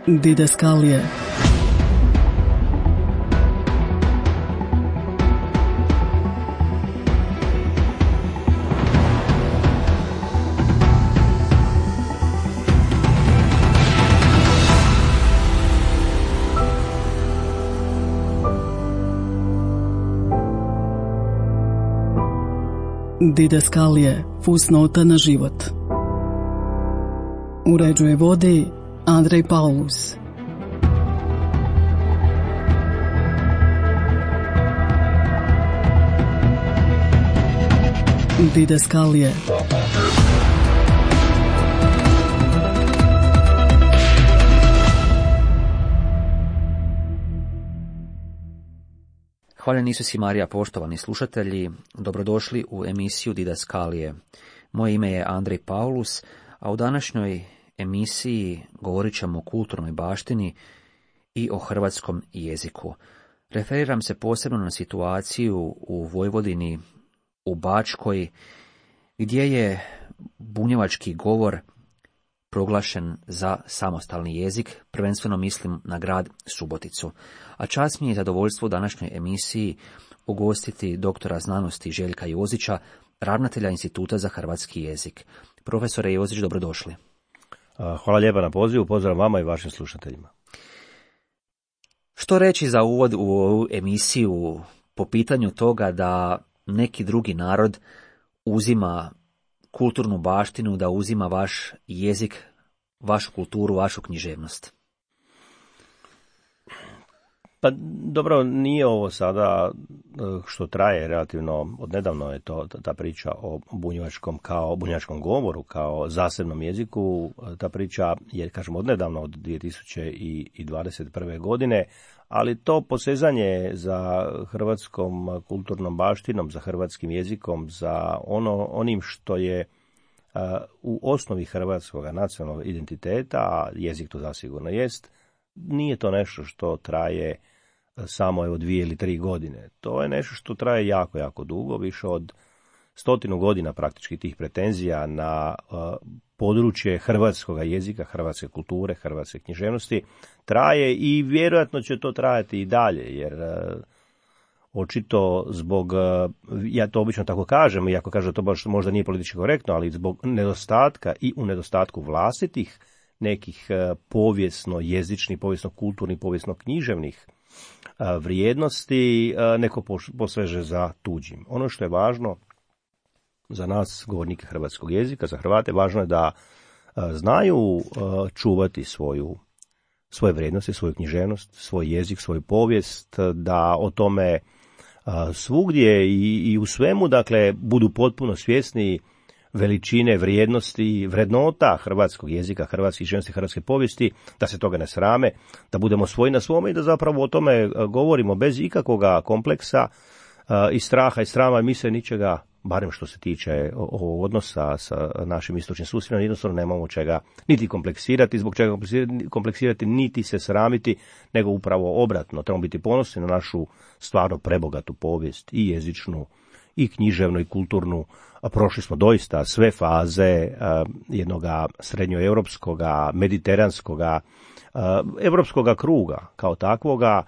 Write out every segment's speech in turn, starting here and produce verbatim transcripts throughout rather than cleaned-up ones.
Didaskalije. Didaskalije, fusnota na život. Uređuje vodi Andrej Paulus. Didaskalije. Hvaljeni Isus i Marija, poštovani slušatelji, dobrodošli u emisiju Didaskalije. Moje ime je Andrej Paulus, a u današnjoj emisiji govorit ćemo o kulturnoj baštini i o hrvatskom jeziku. Referiram se posebno na situaciju u Vojvodini, u Bačkoj, gdje je bunjevački govor proglašen za samostalni jezik, prvenstveno mislim na grad Suboticu. A čast mi je zadovoljstvo u današnjoj emisiji ugostiti doktora znanosti Željka Jozića, ravnatelja Instituta za hrvatski jezik. Profesore Jozić, dobrodošli. Hvala lijepa na pozivu, pozdrav vama i vašim slušateljima. Što reći za uvod u ovu emisiju po pitanju toga da neki drugi narod uzima kulturnu baštinu, da uzima vaš jezik, vašu kulturu, vašu književnost? Pa dobro, nije ovo sada što traje relativno, odnedavno je to ta priča o bunjevačkom kao bunjevačkom govoru, kao zasebnom jeziku. Ta priča je, kažem, odnedavno, od dvije tisuće dvadeset prve. godine, ali to posezanje za hrvatskom kulturnom baštinom, za hrvatskim jezikom, za ono onim što je uh, u osnovi hrvatskog nacionalnog identiteta, a jezik to zasigurno jest, nije to nešto što traje samo evo dvije ili tri godine. To je nešto što traje jako, jako dugo, više od stotinu godina praktički tih pretenzija na uh, područje hrvatskog jezika, hrvatske kulture, hrvatske književnosti traje i vjerojatno će to trajati i dalje, jer uh, očito zbog, uh, ja to obično tako kažem, iako kažem to baš možda nije politički korektno, ali zbog nedostatka i u nedostatku vlastitih nekih uh, povijesno jezičnih, povijesno kulturnih, povijesno književnih uh, vrijednosti, uh, neko poseže za tuđim. Ono što je važno za nas, govornike hrvatskog jezika, za Hrvate, važno je da uh, znaju uh, čuvati svoju, svoje vrijednosti, svoju književnost, svoj jezik, svoju povijest, da o tome uh, svugdje i, i u svemu, dakle, budu potpuno svjesni veličine, vrijednosti, vrednota hrvatskog jezika, hrvatske književnosti, hrvatske povijesti, da se toga ne srame, da budemo svoji na svome i da zapravo o tome govorimo bez ikakvoga kompleksa uh, i straha i srama, i mi se ničega, barem što se tiče ovog odnosa sa našim istočnim susjedima, jednostavno nemamo čega niti kompleksirati, zbog čega kompleksirati, niti se sramiti, nego upravo obratno. Trebamo biti ponosni na našu stvarno prebogatu povijest, i jezičnu, i književnu, i kulturnu. Prošli smo doista sve faze uh, jednoga srednjoevropskoga, mediteranskoga, uh, evropskoga kruga kao takvoga,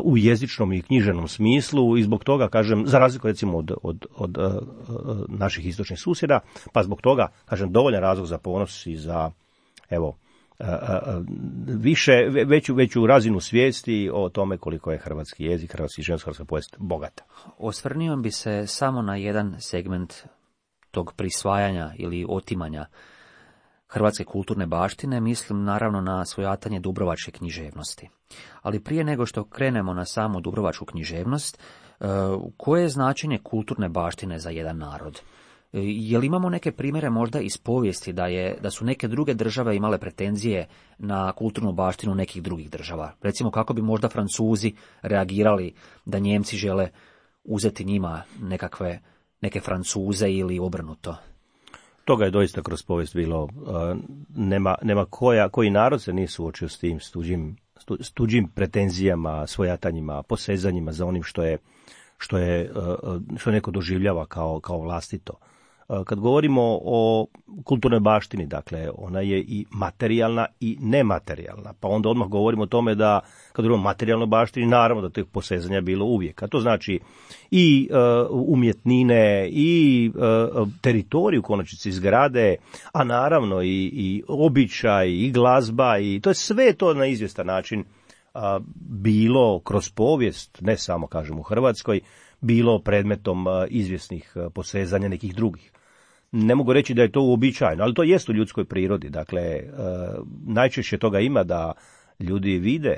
u jezičnom i književnom smislu, i zbog toga, kažem, za razliku recimo od, od, od uh, naših istočnih susjeda, pa zbog toga, kažem, dovoljan razlog za ponos i za, evo, uh, uh, više, veću, veću razinu svijesti o tome koliko je hrvatski jezik, hrvatski književnost, hrvatska povijest bogata. Osvrnio bi se samo na jedan segment tog prisvajanja ili otimanja hrvatske kulturne baštine, mislim naravno na svojatanje dubrovačke književnosti. Ali prije nego što krenemo na samu dubrovačku književnost, koje je značenje kulturne baštine za jedan narod? Je li imamo neke primjere možda iz povijesti da, je, da su neke druge države imale pretenzije na kulturnu baštinu nekih drugih država? Recimo, kako bi možda Francuzi reagirali da Njemci žele uzeti njima nekakve, neke Francuze ili obrnuto? Toga je doista kroz povijest bilo. Nema, nema koja, koji narod se nije suočio s tim, s tuđim, s tuđim pretenzijama, svojatanjima, posezanjima za onim što je, što je, što neko doživljava kao, kao vlastito. Kad govorimo o kulturnoj baštini, dakle, ona je i materijalna i nematerijalna, pa onda odmah govorimo o tome da, kad govorimo o materijalnoj baštini, naravno da tih posezanja je bilo uvijek, a to znači i uh, umjetnine, i uh, teritoriju, konačnici zgrade, a naravno i, i običaj, i glazba, i to je sve to na izvjestan način uh, bilo kroz povijest, ne samo, kažem, u Hrvatskoj, bilo predmetom uh, izvjesnih uh, posezanja nekih drugih. Ne mogu reći da je to uobičajeno, ali to jest u ljudskoj prirodi. Dakle, e, najčešće toga ima da ljudi vide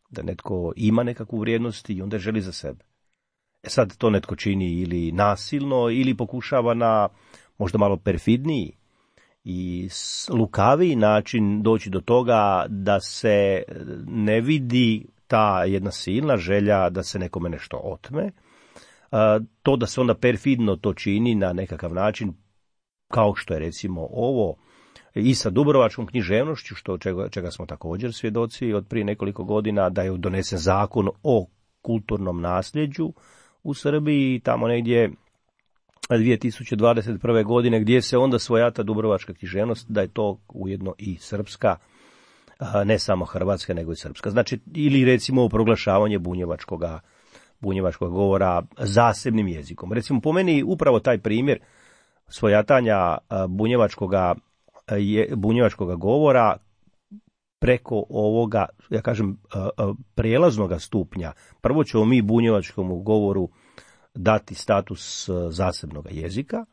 da netko ima nekakvu vrijednost i onda želi za sebe. E sad to netko čini ili nasilno ili pokušava na možda malo perfidniji i lukaviji način doći do toga da se ne vidi ta jedna silna želja da se nekome nešto otme. E, to da se onda perfidno to čini na nekakav način, kao što je recimo ovo i sa dubrovačkom književnošću, što čega, čega smo također svjedoci od prije nekoliko godina, da je donesen zakon o kulturnom nasljeđu u Srbiji, tamo negdje dvije tisuće dvadeset prve. godine, gdje se onda svojata dubrovačka književnost, da je to ujedno i srpska, ne samo hrvatska, nego i srpska. Znači, ili recimo proglašavanje bunjevačkoga, bunjevačkog govora zasebnim jezikom. Recimo, po meni upravo taj primjer svojatanja bunjevačkoga, bunjevačkoga govora preko ovoga, ja kažem, prijelaznoga stupnja. Prvo ćemo mi bunjevačkom govoru dati status zasebnog jezika,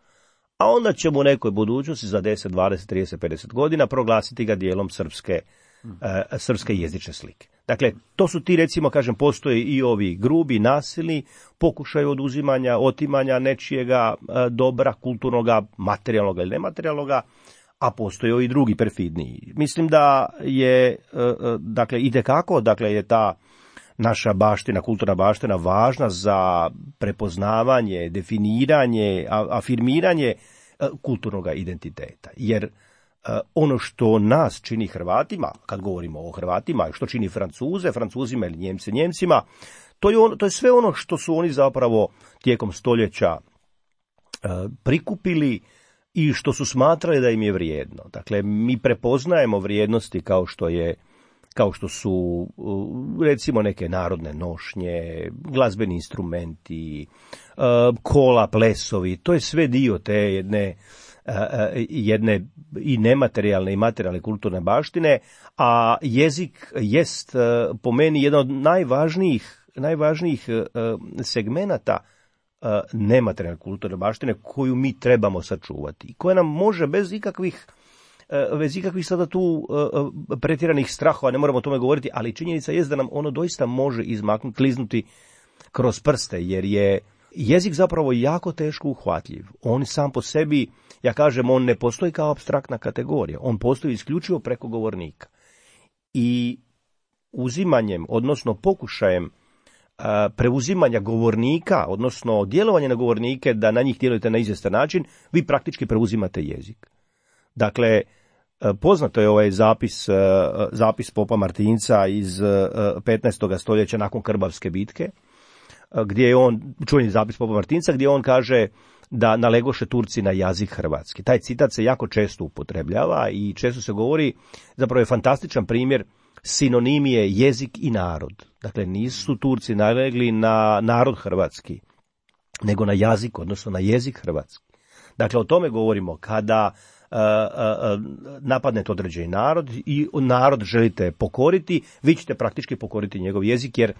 a onda ćemo u nekoj budućnosti za deset, dvadeset, trideset, pedeset godina proglasiti ga dijelom srpske, hmm. srpske jezične slike. Dakle, to su ti, recimo, kažem, postoje i ovi grubi, nasilni pokušaj oduzimanja, otimanja nečijega dobra, kulturnoga, materijalnoga ili nematerijalnoga, a postoje i drugi perfidniji. Mislim da je, dakle, itekako, dakle, je ta naša baština, kulturna baština važna za prepoznavanje, definiranje, afirmiranje kulturnog identiteta. Jer ono što nas čini Hrvatima, kad govorimo o Hrvatima, što čini Francuze, Francuzima ili Njemce, Njemcima, to je, on, to je sve ono što su oni zapravo tijekom stoljeća prikupili i što su smatrali da im je vrijedno. Dakle, mi prepoznajemo vrijednosti kao što je kao što su, recimo, neke narodne nošnje, glazbeni instrumenti, kola, plesovi, to je sve dio te jedne, jedne i nematerijalne i materijalne kulturne baštine, a jezik jest po meni jedan od najvažnijih, najvažnijih segmenata nematerijalne kulturne baštine koju mi trebamo sačuvati i koja nam može bez ikakvih bez ikakvih sada tu uh, pretjeranih strahova, ne moramo o tome govoriti, ali činjenica je da nam ono doista može izmaknuti, kliznuti kroz prste, jer je jezik zapravo jako teško uhvatljiv. On sam po sebi, ja kažem, on ne postoji kao apstraktna kategorija, on postoji isključivo preko govornika. I uzimanjem, odnosno pokušajem uh, preuzimanja govornika, odnosno djelovanja na govornike, da na njih djelujete na izvjestan način, vi praktički preuzimate jezik. Dakle, poznato je ovaj zapis, zapis popa Martinca iz petnaestog stoljeća nakon Krbavske bitke, gdje je on, čuveni zapis popa Martinca, gdje on kaže da nalegoše Turci na jezik hrvatski. Taj citat se jako često upotrebljava i često se govori, zapravo je fantastičan primjer sinonimije jezik i narod. Dakle, nisu Turci nalegli na narod hrvatski, nego na jezik, odnosno na jezik hrvatski. Dakle, o tome govorimo kada Uh, uh, napadnete određeni narod i narod želite pokoriti, vi ćete praktički pokoriti njegov jezik, jer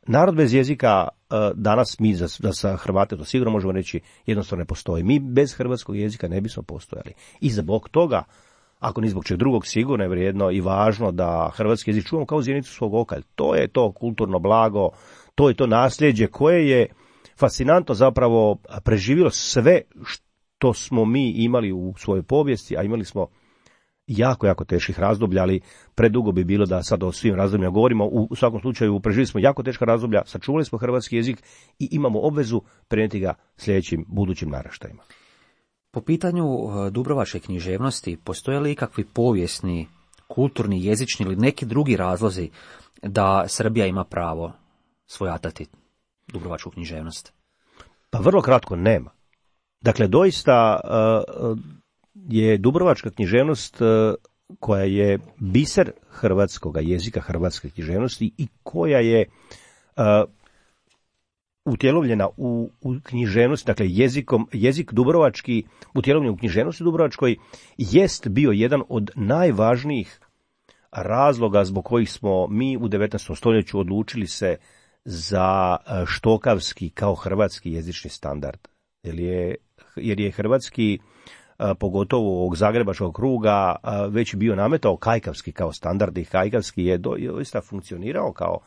narod bez jezika uh, danas mi za, za sa Hrvate to sigurno možemo reći jednostavno ne postoji. Mi bez hrvatskog jezika ne bismo postojali. I zbog toga, ako ni zbog čeg drugog, sigurno je vrijedno i važno da hrvatski jezik čuvamo kao zjenicu svog oka. To je to kulturno blago, to je to nasljeđe koje je fascinantno zapravo preživjelo sve što to smo mi imali u svojoj povijesti, a imali smo jako, jako teških razdoblja, ali predugo bi bilo da sad o svim razdobljima govorimo. U svakom slučaju preživjeli smo jako teška razdoblja, sačuvali smo hrvatski jezik i imamo obvezu prenijeti ga sljedećim budućim naraštajima. Po pitanju dubrovačke književnosti, postoje li ikakvi povijesni, kulturni, jezični ili neki drugi razlozi da Srbija ima pravo svojatati dubrovačku književnost? Pa vrlo kratko nema. Dakle, doista je dubrovačka književnost koja je biser hrvatskog jezika, hrvatske književnosti i koja je utjelovljena u, u književnosti, dakle jezikom, jezik dubrovački utjelovljen u književnosti dubrovačkoj jest bio jedan od najvažnijih razloga zbog kojih smo mi u devetnaestom stoljeću odlučili se za štokavski kao hrvatski jezični standard. Jer je, jer je hrvatski, pogotovo ovog zagrebačkog kruga, već bio nametao kajkavski kao standard i kajkavski je doista funkcionirao kao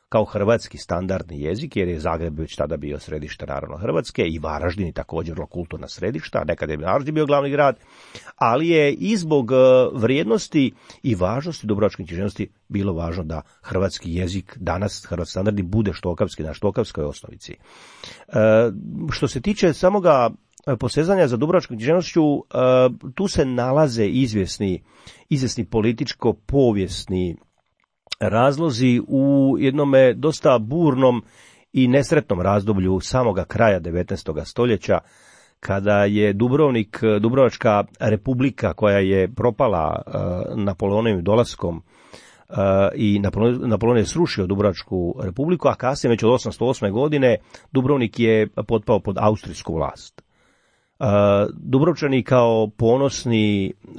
kao hrvatski standardni jezik, jer je Zagreb već tada bio središte naravno Hrvatske i Varaždin također kulturna središta, nekad je Varaždin bio glavni grad, ali je i zbog vrijednosti i važnosti dubrovačke književnosti bilo važno da hrvatski jezik danas, hrvatski standardi, bude štokavski na štokavskoj osnovici. E, što se tiče samoga posezanja za dubrovačkom književnošću, e, tu se nalaze izvjesni, izvjesni političko-povijesni razlozi u jednome dosta burnom i nesretnom razdoblju samoga kraja devetnaestog stoljeća, kada je Dubrovnik, Dubrovačka republika koja je propala uh, Napoleonovim dolaskom uh, i Napoleon, Napoleon je srušio Dubrovačku republiku, a kasnije već od osamsto osme godine Dubrovnik je potpao pod austrijsku vlast. Uh, Dubrovčani kao ponosni, uh,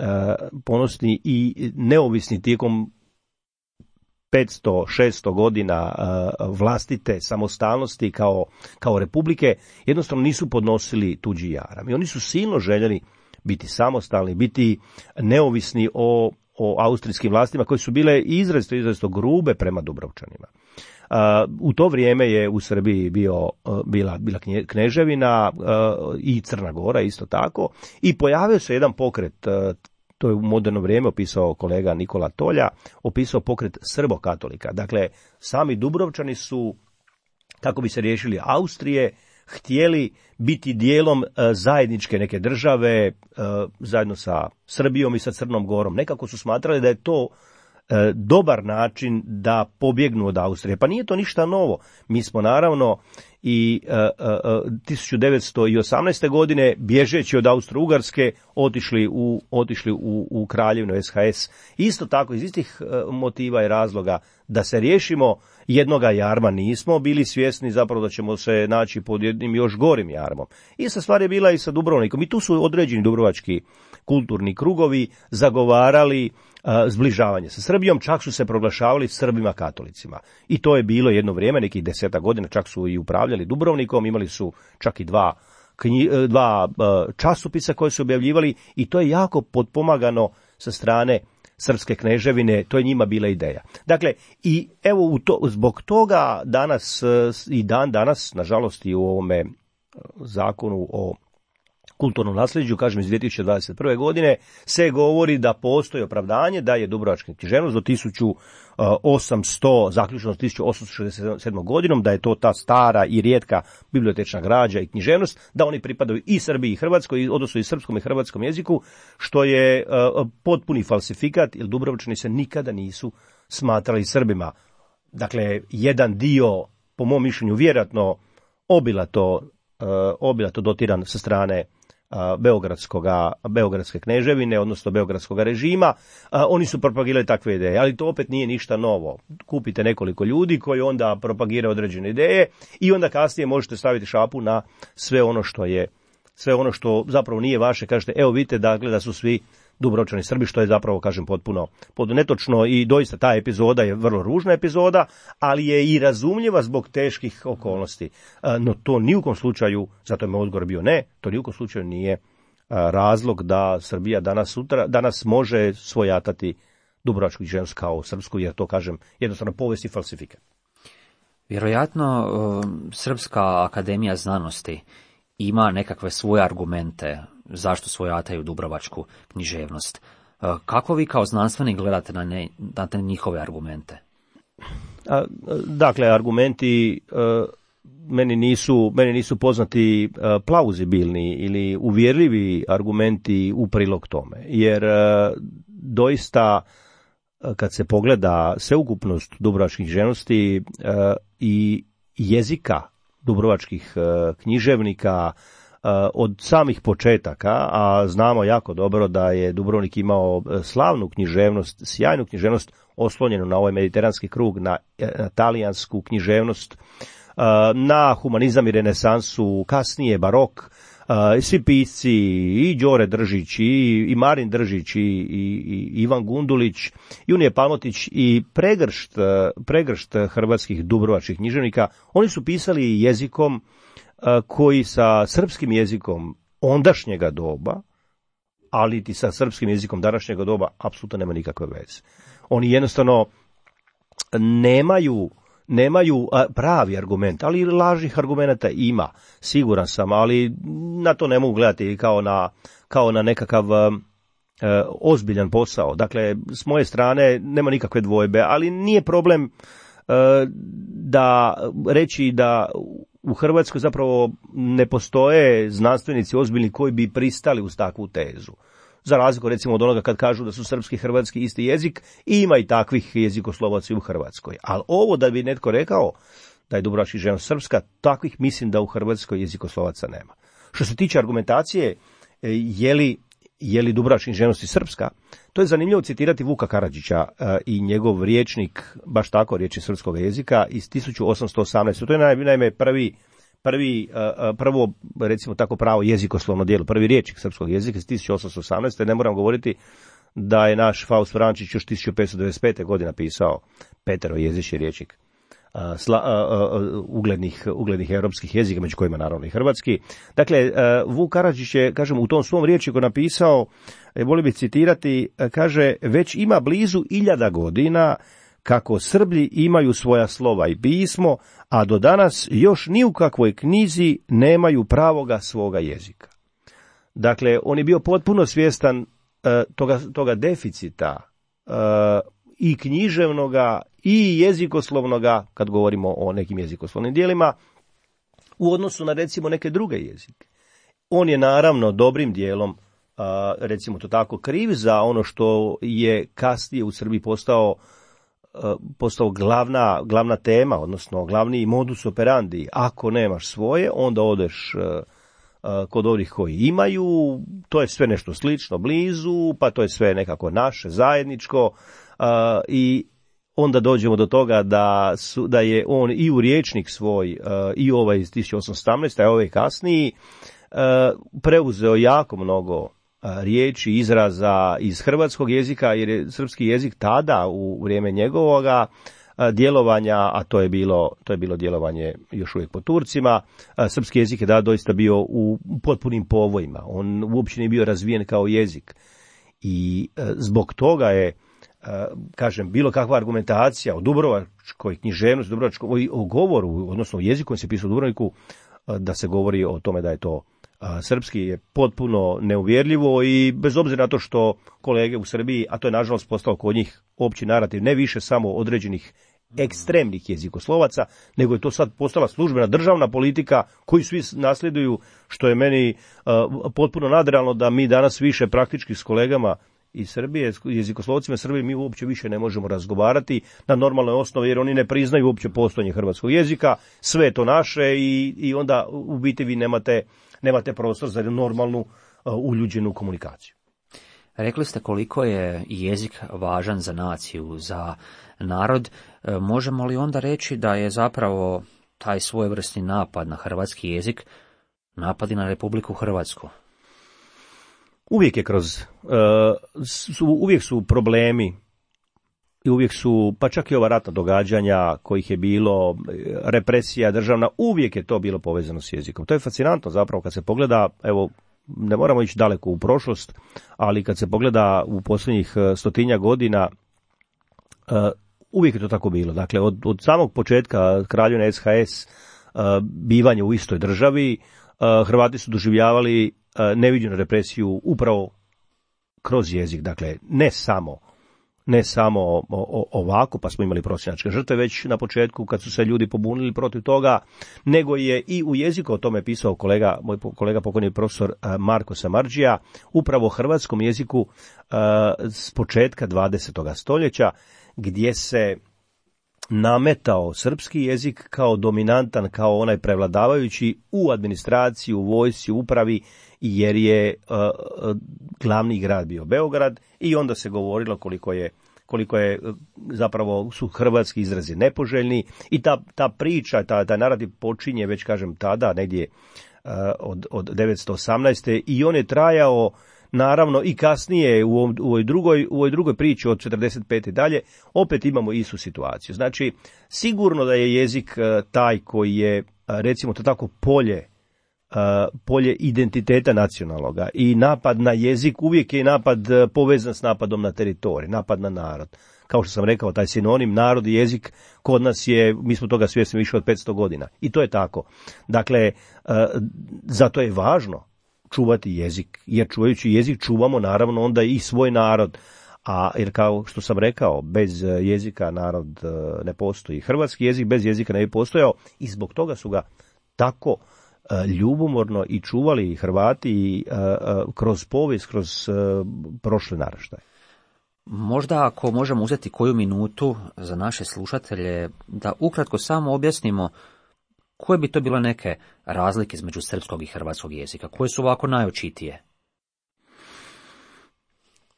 ponosni i neovisni tijekom petsto šesto godina uh, vlastite samostalnosti kao, kao republike, jednostavno nisu podnosili tuđi jaram. I oni su silno željeli biti samostalni, biti neovisni o, o austrijskim vlastima koje su bile izrazito, izrazito grube prema Dubrovčanima. Uh, u to vrijeme je u Srbiji bio, uh, bila, bila kneževina uh, i Crna Gora isto tako i pojavio se jedan pokret, uh, to je u moderno vrijeme opisao kolega Nikola Tolja, opisao pokret srbokatolika. Dakle, sami Dubrovčani su, kako bi se riješili Austrije, htjeli biti dijelom zajedničke neke države, zajedno sa Srbijom i sa Crnom Gorom. Nekako su smatrali da je to dobar način da pobjegnu od Austrije. Pa nije to ništa novo. Mi smo naravno i uh, uh, tisuću devetsto osamnaeste. godine bježeći od Austro-Ugarske otišli u, otišli u, u Kraljevinu S H S. Isto tako iz istih uh, motiva i razloga da se riješimo jednoga jarma, nismo bili svjesni zapravo da ćemo se naći pod jednim još gorim jarmom. Ista stvar je bila i sa Dubrovnikom. I tu su određeni dubrovački kulturni krugovi zagovarali uh, zbližavanje sa Srbijom, čak su se proglašavali Srbima katolicima. I to je bilo jedno vrijeme, nekih deseta godina, čak su i upravljali Dubrovnikom, imali su čak i dva, knji, dva uh, časopisa koje su objavljivali i to je jako potpomagano sa strane srpske kneževine, to je njima bila ideja. Dakle, i evo u to, zbog toga danas uh, i dan danas, nažalost i u ovome zakonu o kulturnom nasljeđu, kažem iz dvije tisuće dvadeset prve. godine, se govori da postoji opravdanje da je dubrovačka književnost do tisuću osamsto, zaključno s tisuću osamsto šezdeset sedmom. godinom, da je to ta stara i rijetka bibliotečna građa i književnost, da oni pripadaju i Srbiji i Hrvatskoj, odnosno i srpskom i hrvatskom jeziku, što je uh, potpuni falsifikat, jer Dubrovčani se nikada nisu smatrali Srbima. Dakle, jedan dio, po mom mišljenju, vjerojatno obilato, uh, obilato dotiran sa strane Beogradskoga, Beogradske kneževine, odnosno Beogradskog režima, a, oni su propagirali takve ideje, ali to opet nije ništa novo. Kupite nekoliko ljudi koji onda propagiraju određene ideje i onda kasnije možete staviti šapu na sve ono što je, sve ono što zapravo nije vaše, kažete, evo vidite dakle da su svi Dubrovčani Srbi, što je zapravo, kažem, potpuno, potpuno netočno i doista ta epizoda je vrlo ružna epizoda, ali je i razumljiva zbog teških okolnosti. No to ni u kom slučaju, zato je moj odgovor bio ne, to ni u kom slučaju nije razlog da Srbija danas sutra, danas može svojatati dubrovačku književnost kao srpsku, jer to, kažem, jednostavno povijest i falsifikat. Vjerojatno Srpska akademija znanosti ima nekakve svoje argumente zašto svojataju dubrovačku književnost. Kako vi kao znanstvenik gledate na, ne, na te njihove argumente? A, dakle, argumenti a, meni, nisu, meni nisu poznati a, plauzibilni ili uvjerljivi argumenti u prilog tome. Jer a, doista a, kad se pogleda sveukupnost dubrovačkih književnosti a, i jezika dubrovačkih a, književnika, od samih početaka, a znamo jako dobro da je Dubrovnik imao slavnu književnost, sjajnu književnost oslonjenu na ovaj mediteranski krug, na, na talijansku književnost, na humanizam i renesansu, kasnije barok, svi pisci, i Đore Držić, i, i Marin Držić, i, i, i Ivan Gundulić, Junije Palmotić i pregršt, pregršt hrvatskih dubrovačkih književnika, oni su pisali jezikom koji sa srpskim jezikom ondašnjega doba, ali i sa srpskim jezikom današnjega doba, apsolutno nema nikakve veze. Oni jednostavno nemaju, nemaju pravi argument, ali lažnih argumenata ima, siguran sam, ali na to ne mogu gledati kao na, kao na nekakav e, ozbiljan posao. Dakle, s moje strane nema nikakve dvojbe, ali nije problem e, da reći da u Hrvatskoj zapravo ne postoje znanstvenici ozbiljni koji bi pristali uz takvu tezu. Za razliku recimo od onoga kad kažu da su srpski i hrvatski isti jezik, i ima i takvih jezikoslovaca u Hrvatskoj. Ali ovo da bi netko rekao da je dubrovačka književnost srpska, takvih mislim da u Hrvatskoj jezikoslovaca nema. Što se tiče argumentacije, je li, je li dubrovačka književnost srpska, to je zanimljivo citirati Vuka Karadžića i njegov rječnik, baš tako rječnik srpskog jezika iz tisuću osamsto osamnaeste. To je naime prvi Prvi, prvo, recimo tako pravo jezikoslovno djelo, prvi rječnik srpskog jezika iz tisuću osamsto osamnaeste. Ne moram govoriti da je naš Faust Vrančić još tisuću petsto devedeset pete. godine pisao peterojezični rječnik sla, uglednih, uglednih europskih jezika, među kojima naravno i hrvatski. Dakle, Vuk Karadžić je, kažem, u tom svom rječniku napisao, volio bih citirati, kaže, već ima blizu iljada godina kako Srblji imaju svoja slova i pismo, a do danas još ni u kakvoj knjizi nemaju pravoga svoga jezika. Dakle, on je bio potpuno svjestan uh, toga, toga deficita uh, i književnoga i jezikoslovnoga, kad govorimo o nekim jezikoslovnim dijelima, u odnosu na recimo neke druge jezike. On je naravno dobrim dijelom, uh, recimo to tako, kriv za ono što je kasnije u Srbiji postao postao glavna, glavna tema, odnosno glavni modus operandi. Ako nemaš svoje, onda odeš uh, uh, kod ovih koji imaju, to je sve nešto slično blizu, pa to je sve nekako naše, zajedničko, uh, i onda dođemo do toga da, su, da je on i u rječnik svoj, uh, i ovaj iz tisuću osamsto osamnaeste, a ovaj kasniji, uh, preuzeo jako mnogo riječi, izraza iz hrvatskog jezika, jer je srpski jezik tada u vrijeme njegovoga djelovanja, a to je bilo, to je bilo djelovanje još uvijek po Turcima, srpski jezik je da doista bio u potpunim povojima, on uopće nije bio razvijen kao jezik i zbog toga je, kažem, bilo kakva argumentacija o dubrovačkoj književnosti, dubrovačkoj, o govoru, odnosno o jeziku koji se pisao u Dubrovniku, da se govori o tome da je to a, srpski, je potpuno neuvjerljivo i bez obzira na to što kolege u Srbiji, a to je nažalost postao kod njih opći narativ, ne više samo određenih ekstremnih jezikoslovaca, nego je to sad postala službena državna politika koju svi nasljeduju, što je meni uh, potpuno nadrealno da mi danas više praktički s kolegama iz Srbije, jezikoslovcima Srbije, mi uopće više ne možemo razgovarati na normalnoj osnovi, jer oni ne priznaju uopće postojanje hrvatskog jezika, sve je to naše i, i onda u biti vi nemate, nemate prostor za normalnu uh, uljuđenu komunikaciju. Rekli ste koliko je jezik važan za naciju, za narod. Možemo li onda reći da je zapravo taj svojevrsni napad na hrvatski jezik napad i na Republiku Hrvatsku? Uvijek je kroz, uh, su, uvijek su problemi i uvijek su, pa čak i ova ratna događanja kojih je bilo, represija državna, uvijek je to bilo povezano s jezikom. To je fascinantno zapravo kad se pogleda, evo, ne moramo ići daleko u prošlost, ali kad se pogleda u posljednjih stotinja godina, uh, uvijek je to tako bilo. Dakle, od, od samog početka kraljevine S H S, uh, bivanje u istoj državi, uh, Hrvati su doživljavali uh, neviđenu represiju upravo kroz jezik. Dakle, ne samo ne samo o, o, ovako, pa smo imali prosjačke žrtve već na početku kad su se ljudi pobunili protiv toga, nego je i u jeziku, o tome pisao kolega, moj kolega pokojni profesor Marko Samardžija, upravo o hrvatskom jeziku uh, s početka dvadesetog stoljeća, gdje se nametao srpski jezik kao dominantan, kao onaj prevladavajući u administraciji, u vojsci, u upravi, jer je uh, glavni grad bio Beograd i onda se govorilo koliko je koliko je zapravo su hrvatski izrazi nepoželjni i ta, ta priča, ta, ta narativ počinje već kažem tada negdje uh, od, od devetsto osamnaeste i on je trajao naravno i kasnije u, ovom, u, ovoj drugoj, u ovoj drugoj priči od četrdeset pete dalje opet imamo istu situaciju. Znači sigurno da je jezik uh, taj koji je uh, recimo to tako polje Uh, polje identiteta nacionalnoga i napad na jezik uvijek je napad uh, povezan s napadom na teritorij, napad na narod. Kao što sam rekao, taj sinonim narod i jezik kod nas je, mi smo toga svjesni više od petsto godina. I to je tako. Dakle, uh, zato je važno čuvati jezik, jer čuvajući jezik čuvamo naravno onda i svoj narod. A jer kao što sam rekao, bez jezika narod uh, ne postoji. Hrvatski jezik bez jezika ne bi postojao i zbog toga su ga tako ljubomorno i čuvali Hrvati uh, uh, kroz povijest, kroz uh, prošle naraštaje. Možda ako možemo uzeti koju minutu za naše slušatelje, da ukratko samo objasnimo koje bi to bile neke razlike između srpskog i hrvatskog jezika, koje su ovako najočitije?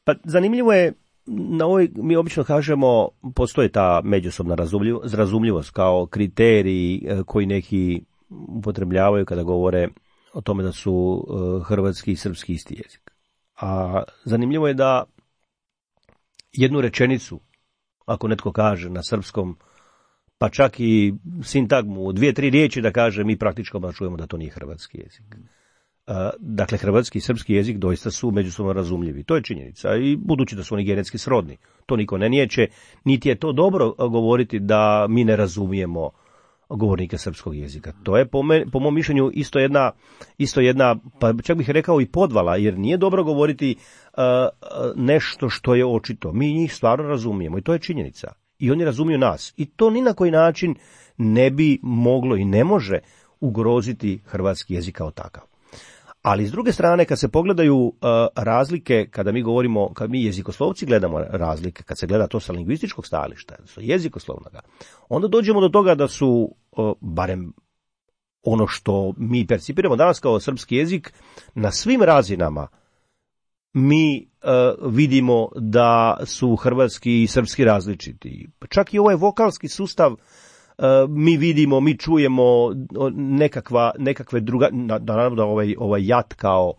Pa zanimljivo je, na ovoj, mi obično kažemo, postoji ta međusobna razumljivost kao kriterij koji neki upotrebljavaju kada govore o tome da su uh, hrvatski i srpski isti jezik. A zanimljivo je da jednu rečenicu, ako netko kaže na srpskom, pa čak i sintagmu, dvije, tri riječi da kaže, mi praktički čujemo da to nije hrvatski jezik. Uh, dakle, hrvatski i srpski jezik doista su međusobno razumljivi. To je činjenica. I budući da su oni genetski srodni, to niko ne niječe, niti je to dobro govoriti da mi ne razumijemo govornika srpskog jezika. To je po, me, po mom mišljenju isto jedna, isto jedna, pa čak bih rekao i podvala, jer nije dobro govoriti uh, nešto što je očito. Mi njih stvarno razumijemo i to je činjenica. I oni razumiju nas. I to ni na koji način ne bi moglo i ne može ugroziti hrvatski jezik kao takav. Ali s druge strane, kad se pogledaju uh, razlike, kada mi govorimo, kad mi jezikoslovci gledamo razlike, kad se gleda to sa lingvističkog stajališta, sa jezikoslovnoga, onda dođemo do toga da su, uh, barem ono što mi percipiramo danas kao srpski jezik, na svim razinama mi uh, vidimo da su hrvatski i srpski različiti. Čak i ovaj vokalski sustav Uh, mi vidimo, mi čujemo nekakva, nekakve druga, naravno da ovaj, ovaj jat kao,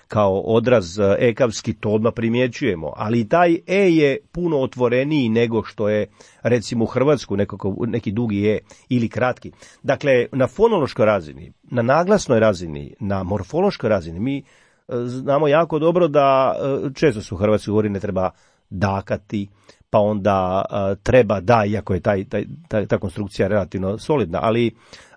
kao odraz ekavski, to odmah primjećujemo, ali i taj e je puno otvoreniji nego što je recimo u Hrvatsku nekako, neki dugi e ili kratki. Dakle, na fonološkoj razini, na naglasnoj razini, na morfološkoj razini, mi uh, znamo jako dobro da uh, često su u Hrvatskoj govori ne treba dakati, pa onda uh, treba da, iako je taj, taj, taj, ta konstrukcija relativno solidna, ali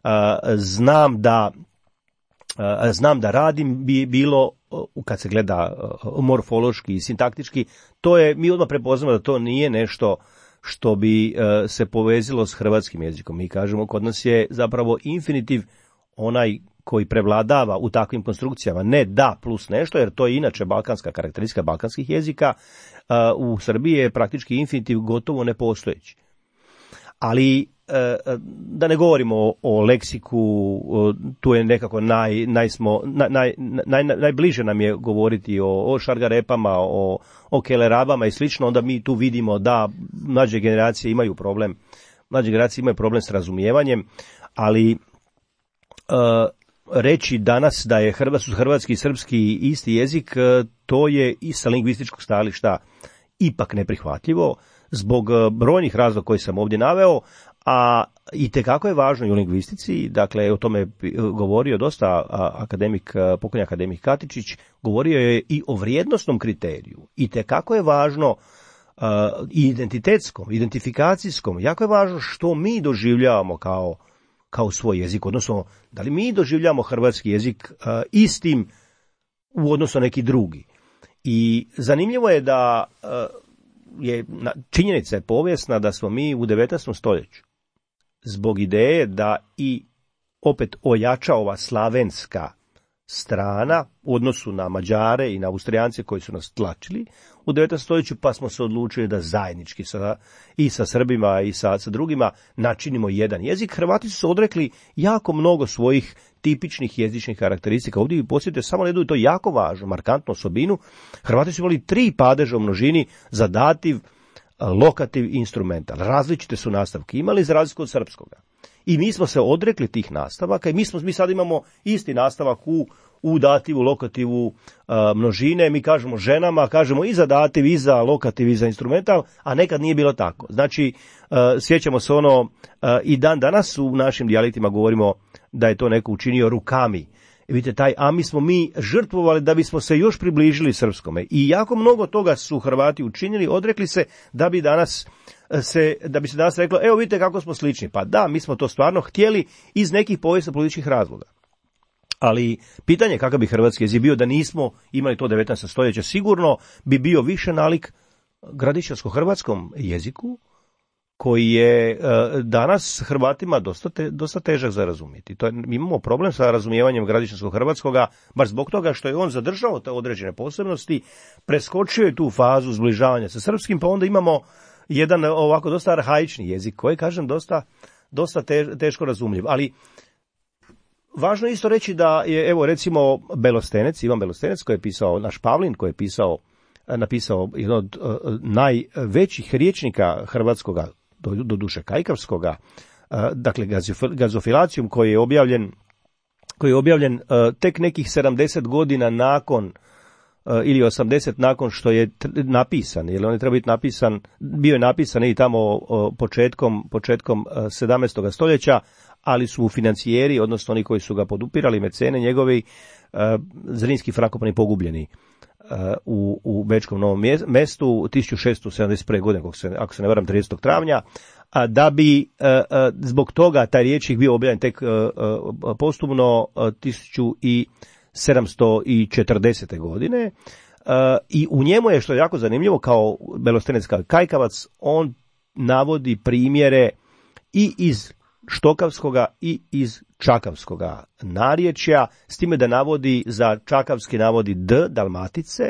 uh, znam da uh, znam da radim bi bilo, uh, kad se gleda uh, morfološki i sintaktički, to je, mi odmah prepoznamo da to nije nešto što bi uh, se povezilo s hrvatskim jezikom. Mi kažemo, kod nas je zapravo infinitiv onaj koji prevladava u takvim konstrukcijama, ne da plus nešto, jer to je inače balkanska karakteristika balkanskih jezika, u Srbiji je praktički infinitiv gotovo nepostojeći. Ali da ne govorimo o, o leksiku, tu je nekako naj, najsmo, naj, naj, naj, najbliže nam je govoriti o, o šargarepama, o, o kelerabama i slično, onda mi tu vidimo da mlađe generacije imaju problem, mlađe generacije imaju problem s razumijevanjem, ali uh, reći danas da je hrvatski, hrvatski i srpski isti jezik, to je i sa lingvističkog stajališta ipak neprihvatljivo zbog brojnih razloga koje sam ovdje naveo, a itekako je važno i u lingvistici, dakle o tome je govorio dosta akademik, pokojni akademik Katičić, govorio je i o vrijednosnom kriteriju. Itekako je važno i identitetskom, identifikacijskom, jako je važno što mi doživljavamo kao kao svoj jezik, odnosno da li mi doživljamo hrvatski jezik uh, istim u odnosu na neki drugi. I zanimljivo je da uh, je činjenica je povijesna da smo mi u devetnaestom stoljeću zbog ideje da i opet ojača ova slavenska strana u odnosu na Mađare i na Austrijance koji su nas tlačili u devetnaestom stoljeću, pa smo se odlučili da zajednički sa, i sa Srbima i sa, sa drugima načinimo jedan jezik. Hrvati su se odrekli jako mnogo svojih tipičnih jezičnih karakteristika. Ovdje vi posjetite samo na jednu, to jako važnu, markantnu osobinu. Hrvati su imali tri padeža u množini za dativ, lokativ i instrumental. Različite su nastavke imali za razliku od srpskoga. I mi smo se odrekli tih nastavaka i mi smo mi sad imamo isti nastavak u u dativu, lokativu, a, množine, mi kažemo ženama, kažemo i za dativ, i za lokativ, i za instrumental, a nekad nije bilo tako. Znači, a, sjećamo se ono, a, i dan danas u našim dijalektima govorimo da je to neko učinio rukami. I vidite, taj ami smo mi žrtvovali da bismo se još približili srpskome. I jako mnogo toga su Hrvati učinili, odrekli se da bi danas se, da bi se danas reklo, evo vidite kako smo slični. Pa da, mi smo to stvarno htjeli iz nekih povijesno-političkih razloga. Ali pitanje kakav bi hrvatski jezik bio da nismo imali to devetnaesto stoljeće, sigurno bi bio više nalik gradišćansko-hrvatskom jeziku, koji je e, danas Hrvatima dosta, te, dosta težak za razumjeti. To je, mi imamo problem sa razumijevanjem gradišćansko-hrvatskoga, baš zbog toga što je on zadržao te određene posebnosti, preskočio je tu fazu zbližavanja sa srpskim, pa onda imamo jedan ovako dosta arhaični jezik, koji, kažem, dosta, dosta te, teško razumljiv. Ali važno je isto reći da je, evo, recimo, Belostenec, Ivan Belostenec, koji je pisao, naš Pavlin, koji je pisao, napisao jedan od uh, najvećih riječnika hrvatskoga, do, do duše kajkavskoga, uh, dakle Gazofilacijum, koji je objavljen, koji je objavljen uh, tek nekih sedamdeset godina nakon uh, ili osamdeset nakon što je t- napisan, jer on je trebao biti napisan, bio je napisan i tamo uh, početkom, početkom uh, sedamnaestog stoljeća, ali su financijeri, odnosno oni koji su ga podupirali, mecene njegovi, uh, Zrinski Frankopani pogubljeni uh, u, u Bečkom Novom mestu tisuću šesto sedamdeset prve. godine, ako se, ako se ne varam, tridesetog travnja, a da bi uh, uh, zbog toga taj rječnik bio objavljen tek uh, uh, postumno uh, tisuću sedamsto četrdesete. godine. Uh, I u njemu je, što je jako zanimljivo, kao Belostenec, kao kajkavac, on navodi primjere i iz štokavskoga i iz čakavskoga narječja, s time da navodi za čakavski navodi d, Dalmatice,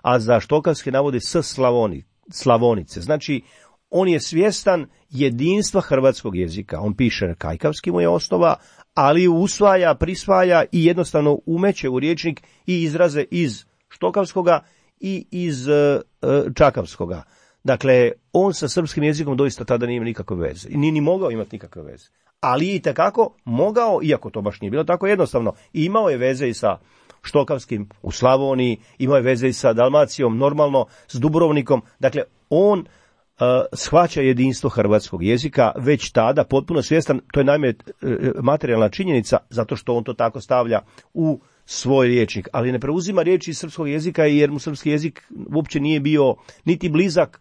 a za štokavski navodi s, Slavoni, Slavonice. Znači, on je svjestan jedinstva hrvatskog jezika. On piše kajkavski, mu je osnova, ali usvaja, prisvaja i jednostavno umeće u rječnik i izraze iz štokavskoga i iz uh, čakavskoga. Dakle, on sa srpskim jezikom doista tada nije imao nikakve veze. I nije ni mogao imati nikakve veze. Ali i tekako mogao, iako to baš nije bilo tako jednostavno, imao je veze i sa štokavskim u Slavoniji, imao je veze i sa Dalmacijom, normalno, s Dubrovnikom. Dakle, on uh, shvaća jedinstvo hrvatskog jezika već tada, potpuno svjestan, to je naime uh, materijalna činjenica, zato što on to tako stavlja u svoj rječnik, ali ne preuzima riječi iz srpskog jezika, jer mu srpski jezik uopće nije bio niti blizak,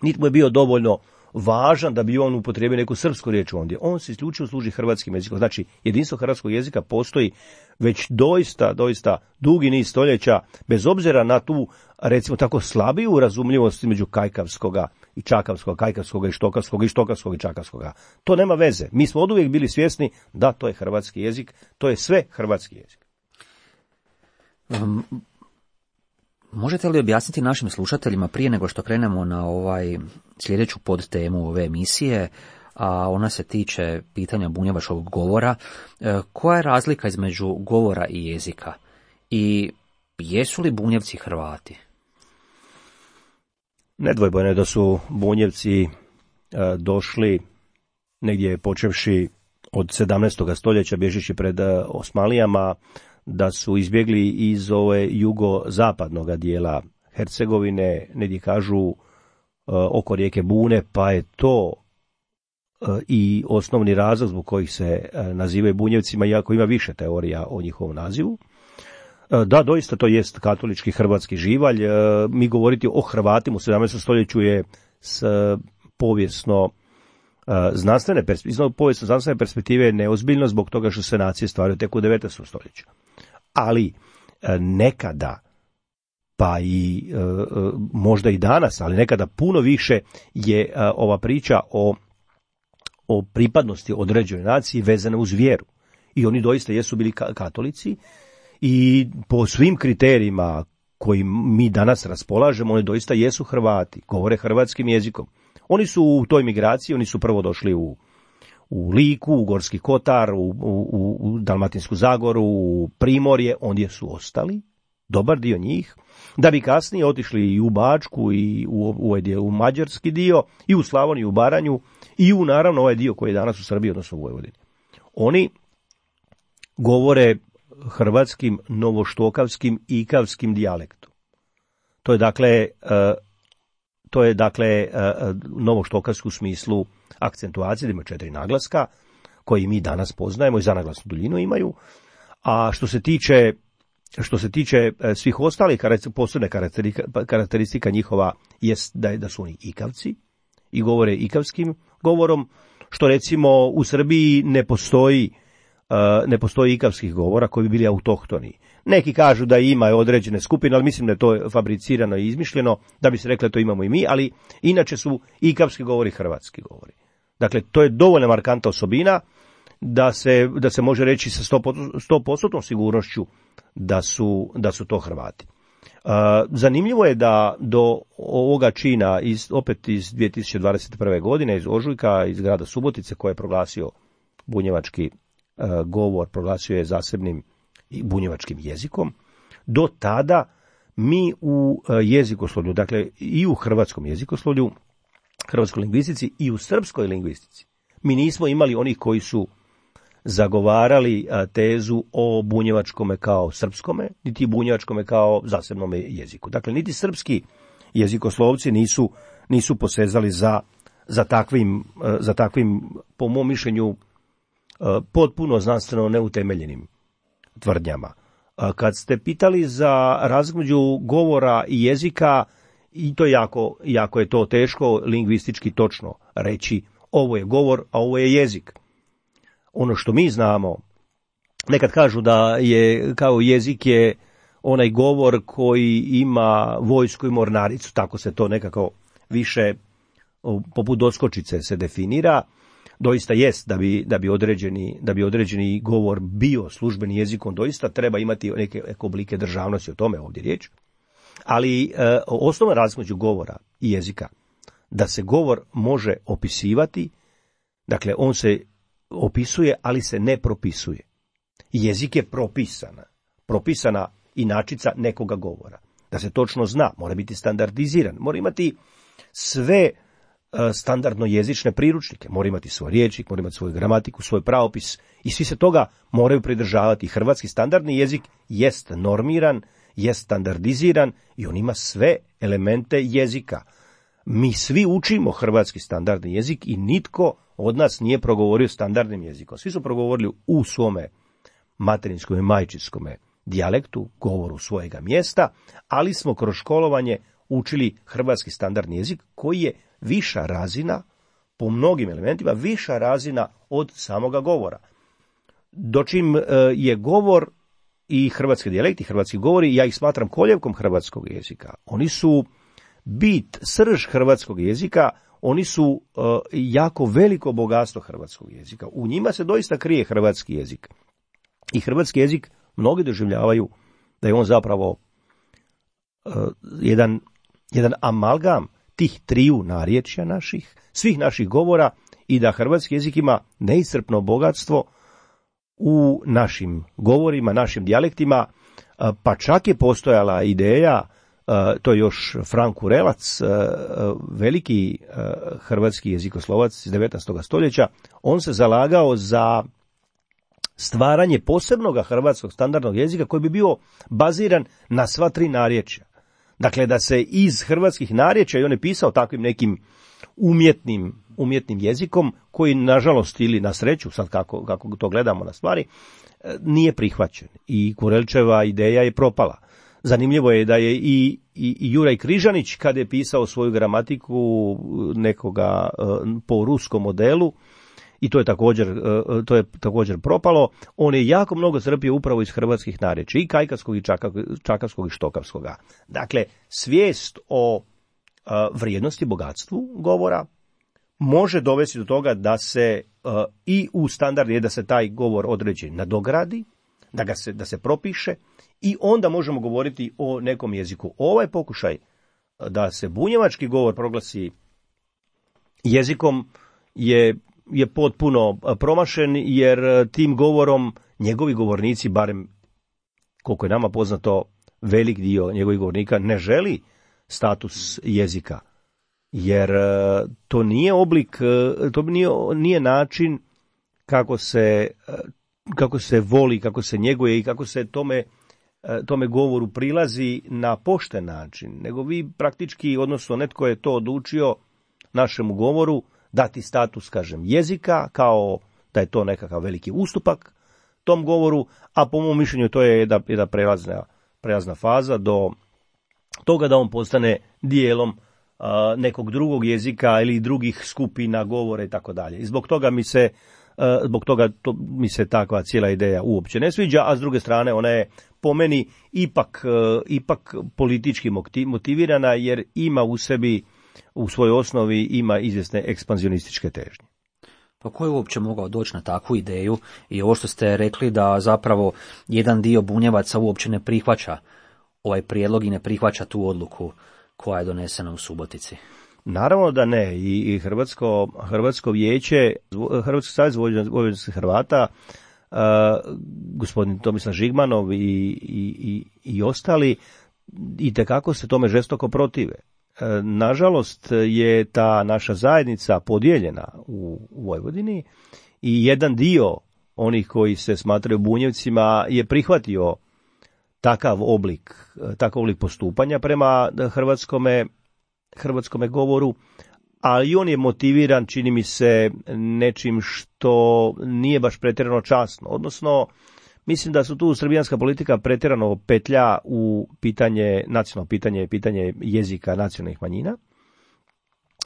niti mu je bio dovoljno važan da bi on upotrijebio neku srpsku riječ ondje. On se isključivo služi hrvatskim jezikom. Znači, jedinstvo hrvatskog jezika postoji već doista, doista dugi niz stoljeća, bez obzira na tu, recimo tako, slabiju razumljivost između kajkavskoga i čakavskoga, kajkavskoga i štokavskoga i štokavskoga i čakavskoga. To nema veze. Mi smo oduvijek bili svjesni da to je hrvatski jezik, to je sve hrvatski jezik. Um, možete li objasniti našim slušateljima prije nego što krenemo na ovaj sljedeću podtemu ove emisije, a ona se tiče pitanja bunjevačkog govora, koja je razlika između govora i jezika? I jesu li Bunjevci Hrvati? Nedvojbeno je da su Bunjevci e, došli negdje počevši od sedamnaestog stoljeća, bježeći pred e, Osmanlijama, da su izbjegli iz ove jugozapadnog dijela Hercegovine, negdje kažu e, oko rijeke Bune, pa je to e, i osnovni razlog zbog kojih se e, nazivaju Bunjevcima, iako ima više teorija o njihovom nazivu. E, da, doista to jest katolički hrvatski živalj. E, mi govoriti o Hrvatima u sedamnaestom stoljeću je s povijesno znanstvene perspektive, povijesno znanstvene perspektive neozbiljno zbog toga što se nacije stvaraju tek u devetnaestom stoljeću. Ali nekada, pa i možda i danas, ali nekada puno više je ova priča o, o pripadnosti određenoj naciji vezana uz vjeru. I oni doista jesu bili katolici i po svim kriterijima koji mi danas raspolažemo, oni doista jesu Hrvati, govore hrvatskim jezikom. Oni su u toj migraciji, oni su prvo došli u, u Liku, u Gorski Kotar, u, u, u Dalmatinsku Zagoru, u Primorje, ondje su ostali, dobar dio njih, da bi kasnije otišli i u Bačku, i u, u, ovaj dio, u mađarski dio, i u Slavoniju, u Baranju, i u naravno ovaj dio koji je danas u Srbiji, odnosno u Vojvodini. Oni govore hrvatskim, novoštokavskim, ikavskim dijalektom. To je dakle, to je dakle novoštokavski u smislu akcentuacije, da ima četiri naglaska, koji mi danas poznajemo i zanaglasnu duljinu imaju. A što se tiče, što se tiče svih ostalih, posebne karakteristika njihova jest da, da su oni ikavci i govore ikavskim govorom, što recimo u Srbiji ne postoji ne postoji ikavskih govora koji bi bili autohtoni. Neki kažu da ima određene skupine, ali mislim da je to fabricirano i izmišljeno, da bi se rekli to imamo i mi, ali inače su ikavski govori hrvatski govori. Dakle, to je dovoljno markantna osobina da se, da se može reći sa sto posto sigurnošću da su, da su to Hrvati. Uh, zanimljivo je da do ovoga čina, iz, opet iz dvije tisuće dvadeset prve. godine, iz ožujka, iz grada Subotice, koje je proglasio bunjevački govor, proglasio je zasebnim bunjevačkim jezikom, do tada mi u jezikoslovlju, dakle i u hrvatskom jezikoslovlju, hrvatskoj lingvistici i u srpskoj lingvistici, mi nismo imali onih koji su zagovarali tezu o bunjevačkome kao srpskome, niti bunjevačkome kao zasebnome jeziku. Dakle, niti srpski jezikoslovci nisu, nisu posezali za, za, takvim, za takvim, po mom mišljenju, potpuno znanstveno neutemeljenim tvrdnjama. Kad ste pitali za razliku između govora i jezika, i to jako, jako je to teško lingvistički točno reći ovo je govor, a ovo je jezik. Ono što mi znamo, nekad kažu da je kao jezik je onaj govor koji ima vojsku i mornaricu, tako se to nekako više poput doskočice se definira. Doista jest da bi, da bi, određeni, da bi određeni govor bio službeni jezik, on doista treba imati neke, neke oblike državnosti, o tome ovdje riječ. Ali e, osnovna razlika među govora i jezika, da se govor može opisivati, dakle on se opisuje, ali se ne propisuje. Jezik je propisana, propisana inačica nekoga govora. Da se točno zna, mora biti standardiziran, mora imati sve standardno jezične priručnike, mora imati svoj rječnik, mora imati svoju gramatiku, svoj pravopis i svi se toga moraju pridržavati. Hrvatski standardni jezik jest normiran, jest standardiziran i on ima sve elemente jezika. Mi svi učimo hrvatski standardni jezik i nitko od nas nije progovorio standardnim jezikom. Svi su progovorili u svome materinskom i majčinskom dijalektu, govoru svojega mjesta, ali smo kroz školovanje učili hrvatski standardni jezik koji je viša razina, po mnogim elementima, viša razina od samoga govora. Dočim je govor i hrvatski dijalekti, hrvatski govori, ja ih smatram koljevkom hrvatskog jezika. Oni su bit, srž hrvatskog jezika, oni su jako veliko bogatstvo hrvatskog jezika. U njima se doista krije hrvatski jezik. I hrvatski jezik mnogi doživljavaju da je on zapravo jedan, jedan amalgam tih triju narječja naših, svih naših govora i da hrvatski jezik ima neiscrpno bogatstvo u našim govorima, našim dijalektima, pa čak je postojala ideja, to je još Frank Kurelac, veliki hrvatski jezikoslovac iz devetnaestog stoljeća, on se zalagao za stvaranje posebnog hrvatskog standardnog jezika koji bi bio baziran na sva tri narječja. Dakle, da se iz hrvatskih narječja, i on je pisao takvim nekim umjetnim, umjetnim jezikom, koji nažalost ili na sreću, sad kako, kako to gledamo na stvari, nije prihvaćen. I Kurelčeva ideja je propala. Zanimljivo je da je i, i, i Juraj Križanić, kada je pisao svoju gramatiku nekoga po ruskom modelu, i to je također, to je također propalo, on je jako mnogo crpio upravo iz hrvatskih narječja, i kajkavskog, i čakavskog, i štokavskoga. Dakle, svijest o vrijednosti, bogatstvu govora može dovesti do toga da se i u standard je da se taj govor određen nadogradi, da ga se, da se propiše i onda možemo govoriti o nekom jeziku. Ovaj pokušaj da se bunjevački govor proglasi jezikom je, je potpuno promašen, jer tim govorom njegovi govornici, barem koliko je nama poznato, velik dio njegovih govornika ne želi status jezika, jer to nije oblik, to nije, nije način kako se, kako se voli, kako se njeguje i kako se tome, tome govoru prilazi na pošten način, nego vi praktički, odnosno netko je to odlučio našemu govoru dati status, kažem, jezika, kao da je to nekakav veliki ustupak tom govoru, a po mom mišljenju to je jedna, jedna prelazna, prelazna faza do toga da on postane dijelom uh, nekog drugog jezika ili drugih skupina govora i tako dalje. I zbog toga mi se uh, zbog toga to, mi se takva cijela ideja uopće ne sviđa, a s druge strane ona je po meni ipak, uh, ipak politički motivirana, jer ima u sebi, u svojoj osnovi ima izvjesne ekspanzionističke težnje. Pa ko je uopće mogao doći na takvu ideju i ovo što ste rekli da zapravo jedan dio Bunjevaca uopće ne prihvaća ovaj prijedlog i ne prihvaća tu odluku koja je donesena u Subotici? Naravno da ne. I, i Hrvatsko, Hrvatsko vijeće, Hrvatski savez vojvođanskih Hrvata, uh, gospodin Tomislav Žigmanov i, i, i, i ostali itekako se tome žestoko protive. Nažalost je ta naša zajednica podijeljena u Vojvodini i jedan dio onih koji se smatraju Bunjevcima je prihvatio takav oblik, takav oblik postupanja prema hrvatskome, hrvatskome govoru, ali on je motiviran, čini mi se, nečim što nije baš pretjerano časno, odnosno mislim da su tu srbijanska politika pretjerano petlja u pitanje, nacionalno pitanje, pitanje jezika nacionalnih manjina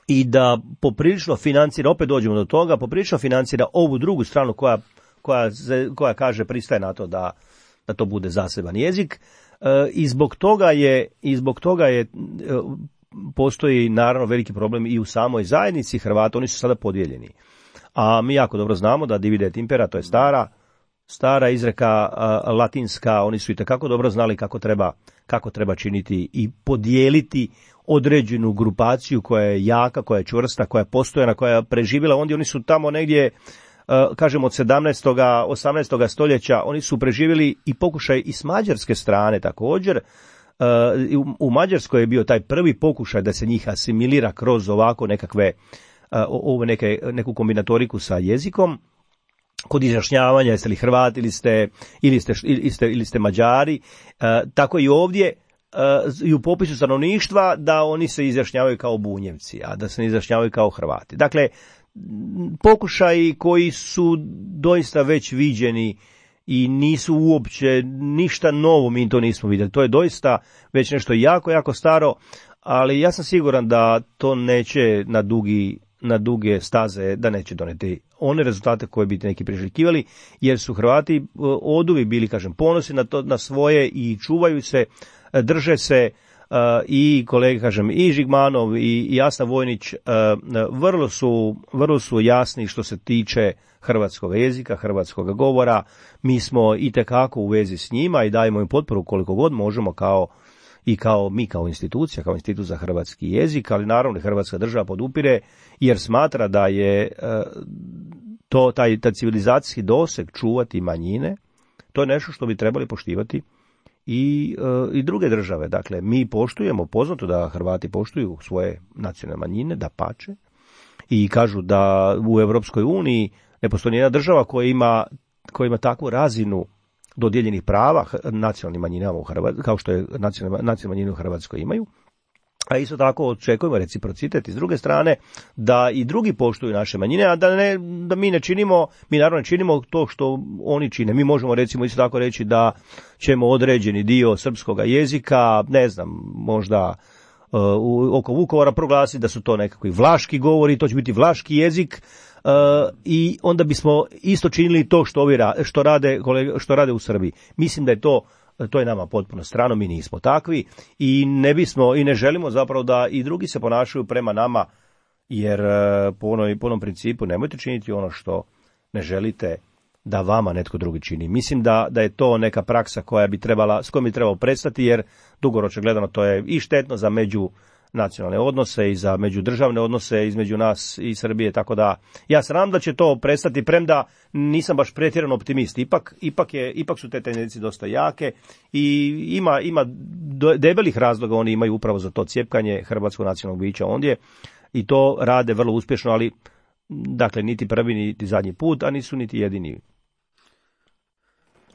i da poprilično financira, opet dođemo do toga, poprilično financira ovu drugu stranu koja, koja, koja kaže pristaje na to da, da to bude zaseban jezik e, i zbog toga je, i zbog toga je e, postoji naravno veliki problem i u samoj zajednici Hrvata, oni su sada podijeljeni. A mi jako dobro znamo da divide et impera, to je stara Stara izreka a, latinska, oni su itekako dobro znali kako treba, kako treba činiti i podijeliti određenu grupaciju koja je jaka, koja je čvrsta, koja je postojana, koja je preživjela. Onda oni su tamo negdje, a, kažemo od sedamnaestog osamnaestog stoljeća, oni su preživjeli i pokušaj i s mađarske strane također. A, u, u Mađarskoj je bio taj prvi pokušaj da se njih asimilira kroz ovako nekakve, a, ove neke, neku kombinatoriku sa jezikom. Kod izjašnjavanja jeste li Hrvati ili ste, ili ste, ili ste, ili ste Mađari, e, tako i ovdje e, i u popisu stanovništva da oni se izjašnjavaju kao Bunjevci, a da se ne izjašnjavaju kao Hrvati. Dakle, pokušaji koji su doista već viđeni i nisu uopće ništa novo, mi to nismo vidjeli. To je doista već nešto jako, jako staro, ali ja sam siguran da to neće na dugi na duge staze, da neće doneti one rezultate koje bi neki priželjkivali, jer su Hrvati oduvi bili, kažem, ponosni na to, na svoje i čuvaju se, drže se uh, i kolege, kažem, i Žigmanov i, i Jasna Vojnić uh, vrlo su, vrlo su jasni što se tiče hrvatskog jezika, hrvatskog govora. Mi smo itekako u vezi s njima i dajemo im potporu koliko god možemo kao i kao mi kao institucija, kao institut za hrvatski jezik, ali naravno Hrvatska država podupire jer smatra da je to taj, taj civilizacijski doseg čuvati manjine, to je nešto što bi trebali poštivati i, i druge države. Dakle, mi poštujemo, poznato da Hrvati poštuju svoje nacionalne manjine, da pače, i kažu da u Europskoj uniji ne postoji nijedna država koja ima, koja ima takvu razinu dodijeljenih prava nacionalnim manjinama u Hrvatskoj, kao što je nacionalne, nacionalne manjine u Hrvatskoj imaju. A isto tako očekujemo reciprocitet i s druge strane da i drugi poštuju naše manjine, a da, ne, da mi ne činimo, mi naravno ne činimo to što oni čine. Mi možemo recimo isto tako reći da ćemo određeni dio srpskog jezika, ne znam, možda uh, oko Vukovara proglasiti da su to nekakvi vlaški govori, to će biti vlaški jezik. Uh, i onda bismo isto činili to što ovi ra, što rade kolege, što rade u Srbiji. Mislim da je to to je nama potpuno strano, mi nismo takvi i ne bismo i ne želimo zapravo da i drugi se ponašaju prema nama, jer uh, po onoj po onom principu nemojte činiti ono što ne želite da vama netko drugi čini. Mislim da, da je to neka praksa koja bi trebala, s kojom bi trebalo prestati, jer dugoročno gledano to je i štetno za međunacionalne odnose i za međudržavne odnose između nas i Srbije, tako da ja se nadam da će to prestati, premda nisam baš pretjerano optimist. Ipak, ipak, je, ipak su te tendencije dosta jake i ima, ima debelih razloga, oni imaju upravo za to cjepkanje hrvatskog nacionalnog bića ondje i to rade vrlo uspješno, ali dakle niti prvi niti zadnji put, a nisu niti jedini.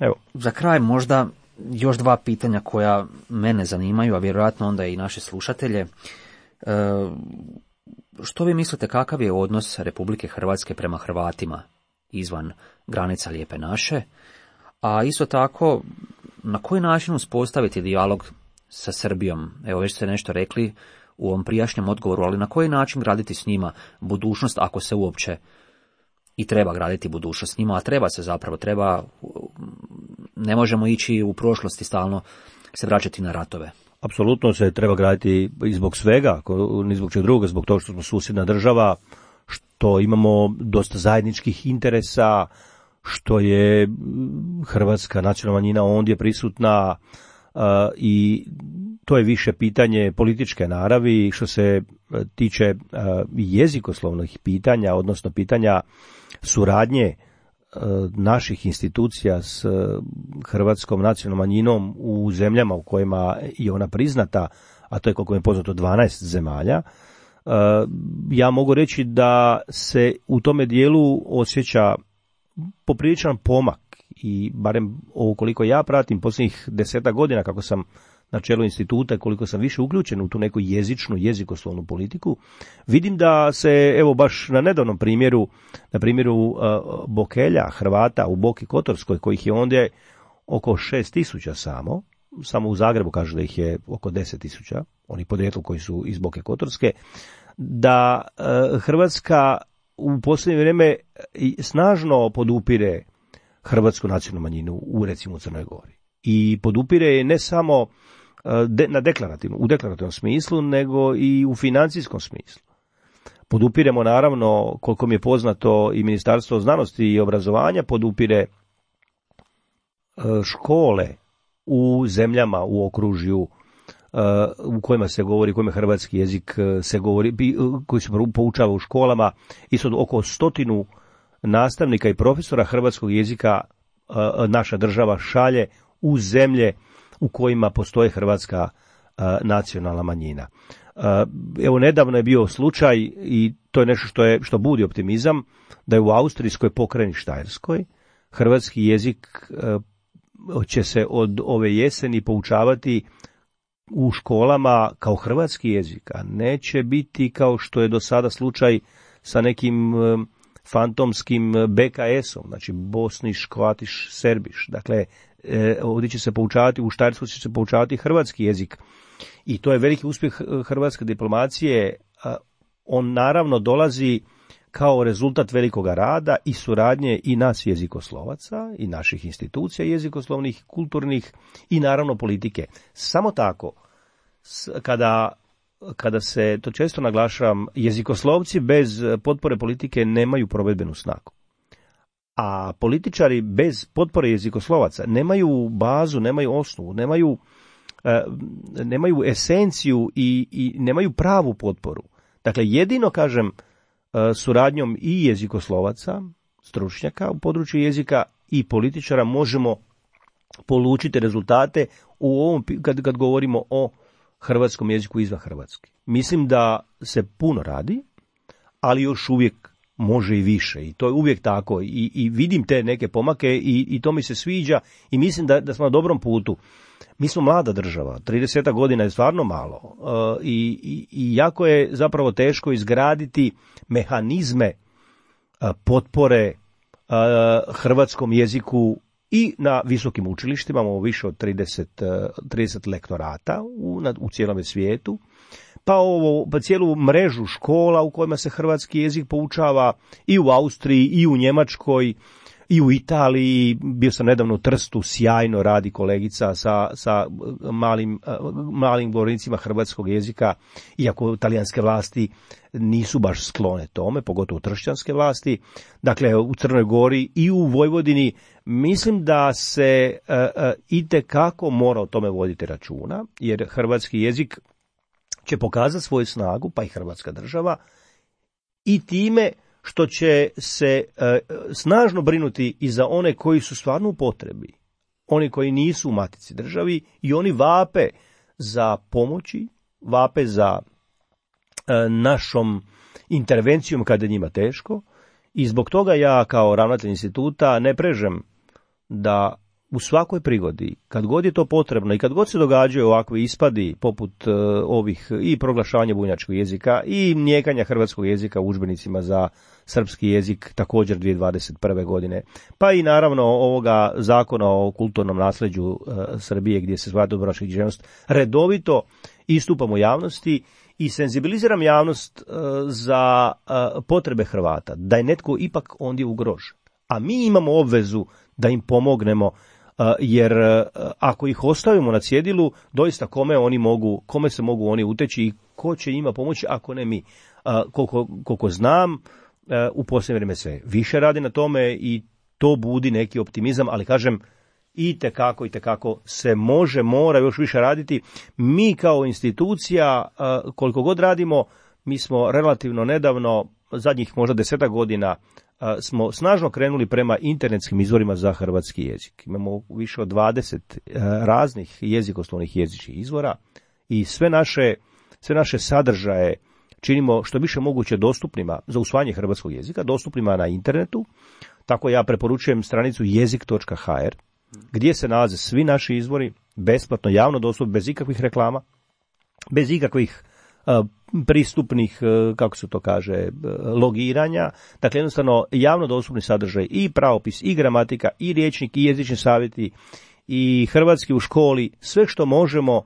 Evo. Za kraj možda još dva pitanja koja mene zanimaju, a vjerojatno onda i naše slušatelje. E, što vi mislite, kakav je odnos Republike Hrvatske prema Hrvatima izvan granica Lijepe naše? A isto tako, na koji način uspostaviti dijalog sa Srbijom? Evo, već ste nešto rekli u ovom prijašnjem odgovoru, ali na koji način graditi s njima budućnost, ako se uopće i treba graditi budućnost s njima, a treba se zapravo, treba, ne možemo ići u prošlosti stalno se vraćati na ratove. Apsolutno se treba graditi i zbog svega, ni zbog čeg druga, zbog toga što smo susjedna država, što imamo dosta zajedničkih interesa, što je hrvatska nacionalna manjina ondje prisutna uh, i to je više pitanje političke naravi. Što se tiče uh, jezikoslovnih pitanja, odnosno pitanja suradnje uh, naših institucija s uh, hrvatskom nacionalnom manjinom u zemljama u kojima je ona priznata, a to je koliko mi je poznato dvanaest zemalja, uh, ja mogu reći da se u tome dijelu osjeća popriličan pomak i barem ovo koliko ja pratim posljednjih desetak godina kako sam na čelu instituta, koliko sam više uključen u tu neku jezičnu, jezikoslovnu politiku, vidim da se, evo baš na nedavnom primjeru, na primjeru uh, Bokelja, Hrvata u Boki Kotorskoj, kojih je ondje oko šest tisuća samo, samo u Zagrebu kažu da ih je oko deset tisuća, oni podrijetlo koji su iz Boke Kotorske, da uh, Hrvatska u posljednje vrijeme snažno podupire hrvatsku nacionalnu manjinu u recimo Crnoj Gori. I podupire je ne samo de, na deklarativnom, u deklarativnom smislu, nego i u financijskom smislu. Podupiremo naravno, koliko mi je poznato, i Ministarstvo znanosti i obrazovanja podupire škole u zemljama u okružju u kojima se govori, u kojima hrvatski jezik se govori, koji se poučava u školama. Isto oko stotinu nastavnika i profesora hrvatskog jezika naša država šalje u zemlje u kojima postoje hrvatska nacionalna manjina. Evo, nedavno je bio slučaj, i to je nešto što je što budi optimizam, da je u austrijskoj pokrajini Štajerskoj hrvatski jezik će se od ove jeseni poučavati u školama kao hrvatski jezik, a neće biti kao što je do sada slučaj sa nekim fantomskim be ka esom, znači bosniš, kroatiš, serbiš. Dakle, ovdje će se poučavati, u Štajerskoj će se poučavati hrvatski jezik. I to je veliki uspjeh hrvatske diplomacije. On naravno dolazi kao rezultat velikoga rada i suradnje i nas jezikoslovaca i naših institucija jezikoslovnih, kulturnih i naravno politike. Samo tako, kada, kada se, to često naglašavam, jezikoslovci bez potpore politike nemaju provedbenu snagu. A političari bez potpore jezikoslovaca nemaju bazu, nemaju osnovu, nemaju, nemaju esenciju i, i nemaju pravu potporu. Dakle, jedino, kažem, suradnjom i jezikoslovaca, stručnjaka u području jezika i političara možemo polučiti rezultate u ovom, kad, kad govorimo o hrvatskom jeziku izvan Hrvatske. Mislim da se puno radi, ali još uvijek može i više, i to je uvijek tako, i, i vidim te neke pomake i, i to mi se sviđa i mislim da, da smo na dobrom putu. Mi smo mlada država, trideset godina je stvarno malo uh, i, i, i jako je zapravo teško izgraditi mehanizme uh, potpore uh, hrvatskom jeziku i na visokim učilištima, imamo više od trideset, uh, trideset lektorata u, na, u cijelom svijetu, pa, ovo, pa cijelu mrežu škola u kojima se hrvatski jezik poučava i u Austriji i u Njemačkoj, i u Italiji, bio sam nedavno u Trstu, sjajno radi kolegica sa, sa malim, malim govornicima hrvatskog jezika, iako talijanske vlasti nisu baš sklone tome, pogotovo tršćanske vlasti. Dakle, u Crnoj Gori i u Vojvodini mislim da se uh, uh, itekako mora o tome voditi računa, jer hrvatski jezik će pokazati svoju snagu, pa i hrvatska država, i time što će se e, snažno brinuti i za one koji su stvarno u potrebi, oni koji nisu u matici državi, i oni vape za pomoći, vape za e, našom intervencijom kada je njima teško, i zbog toga ja kao ravnatelj instituta ne prežem da u svakoj prigodi, kad god je to potrebno i kad god se događaju ovakvi ispadi poput uh, ovih i proglašavanja bunjevačkog jezika i nijekanja hrvatskog jezika u udžbenicima za srpski jezik također dvije tisuće dvadeset prve godine, pa i naravno ovoga zakona o kulturnom nasljeđu uh, Srbije gdje se zvati dubrovačka književnost, redovito istupam u javnosti i senzibiliziram javnost uh, za uh, potrebe Hrvata, da je netko ipak ondje ugrožen. A mi imamo obvezu da im pomognemo, Uh, jer uh, ako ih ostavimo na cjedilu, doista kome oni mogu, kome se mogu oni uteći i ko će njima pomoći ako ne mi. Uh, koliko, koliko znam, uh, u posljednje vrijeme se više radi na tome i to budi neki optimizam, ali kažem, itekako, itekako se može, mora još više raditi. Mi kao institucija, uh, koliko god radimo, mi smo relativno nedavno, zadnjih možda desetak godina, smo snažno krenuli prema internetskim izvorima za hrvatski jezik. Imamo više od dvadeset raznih jezikoslovnih jezičnih izvora i sve naše, sve naše sadržaje činimo što više moguće dostupnima za usvajanje hrvatskog jezika, dostupnima na internetu. Tako ja preporučujem stranicu jezik točka ha er gdje se nalaze svi naši izvori, besplatno, javno dostupni, bez ikakvih reklama, bez ikakvih pristupnih, kako se to kaže, logiranja. Dakle, jednostavno javno dostupni sadržaj i pravopis, i gramatika, i rječnik, i jezični savjeti, i hrvatski u školi, sve što možemo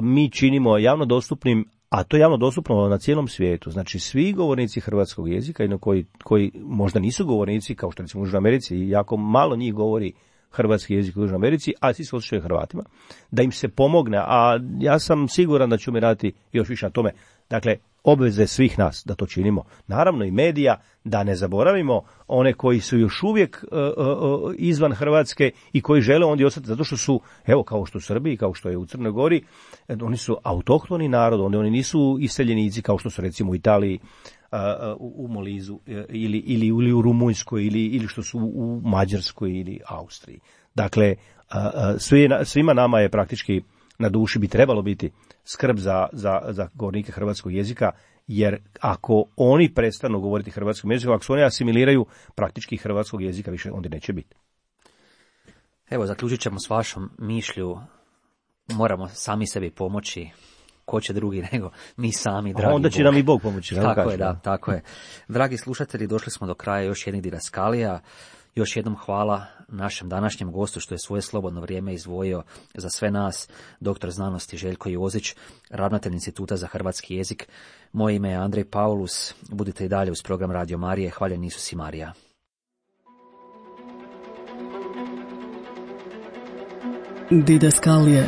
mi činimo javno dostupnim, a to je javno dostupno na cijelom svijetu. Znači, svi govornici hrvatskog jezika, jedno koji, koji možda nisu govornici, kao što recimo u Južnoj Americi, jako malo njih govori hrvatski jezik u Južnoj Americi, a svi se osjećaju Hrvatima, da im se pomogne, a ja sam siguran da ćemo raditi još više na tome. Dakle, obveze svih nas da to činimo. Naravno i medija, da ne zaboravimo one koji su još uvijek uh, uh, izvan Hrvatske i koji žele ondje ostati, zato što su, evo, kao što u Srbiji, kao što je u Crnoj Gori, oni su autohtoni narod, oni, oni nisu iseljenici kao što su recimo u Italiji, u Molizu ili, ili, ili u Rumunjskoj ili, ili što su u Mađarskoj ili Austriji. Dakle, svi, svima nama je praktički na duši bi trebalo biti skrb za, za, za govornike hrvatskog jezika, jer ako oni prestanu govoriti hrvatskom jezikom, ako se oni asimiliraju, praktički hrvatskog jezika više onda neće biti. Evo, zaključit ćemo s vašom mišlju, moramo sami sebi pomoći. Ko će drugi nego mi sami, dragi Bog. Onda će nam i Bog pomoći. Tako kažem. je, da, tako je. Dragi slušatelji, došli smo do kraja još jednih didaskalija. Još jednom hvala našem današnjem gostu što je svoje slobodno vrijeme izdvojio za sve nas, doktor znanosti Željko Jozić, ravnatelj Instituta za hrvatski jezik. Moje ime je Andrej Paulus. Budite i dalje uz program Radio Marije. Hvaljen Isus i Marija. Didaskalije.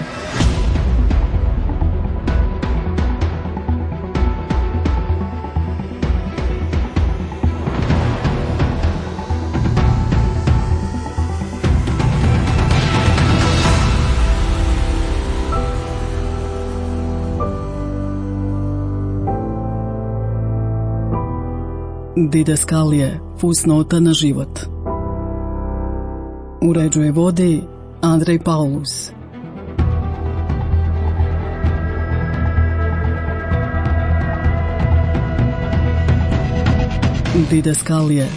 Didaskalije, fusnota na život. Uređuje vodi Andrej Paulus. Didaskalije.